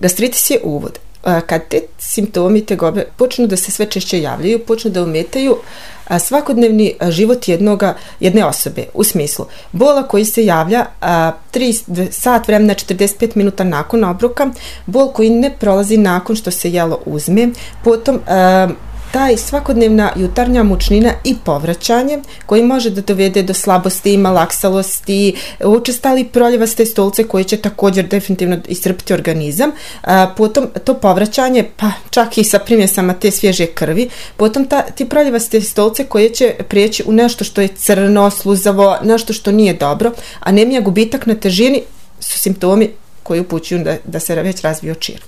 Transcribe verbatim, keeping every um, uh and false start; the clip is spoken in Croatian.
Gastritis je uvod. Kad te simptomi tegobe počnu da se sve češće javljaju, počnu da ometaju svakodnevni život jednoga, jedne osobe, u smislu bola koji se javlja tri sat vremena četrdeset pet minuta nakon obroka, bol koji ne prolazi nakon što se jelo uzme, potom a, taj svakodnevna jutarnja mučnina i povraćanje koji može da dovede do slabosti, malaksalosti, učestali proljevaste stolice koji će također definitivno iscrpiti organizam, a, potom to povraćanje, pa čak i sa primjesama te svježe krvi, potom ta, ti proljevaste stolice koje će prijeći u nešto što je crno, sluzavo, nešto što nije dobro, anemija, gubitak na težini su simptomi koji upućuju da, da se već razvio čir.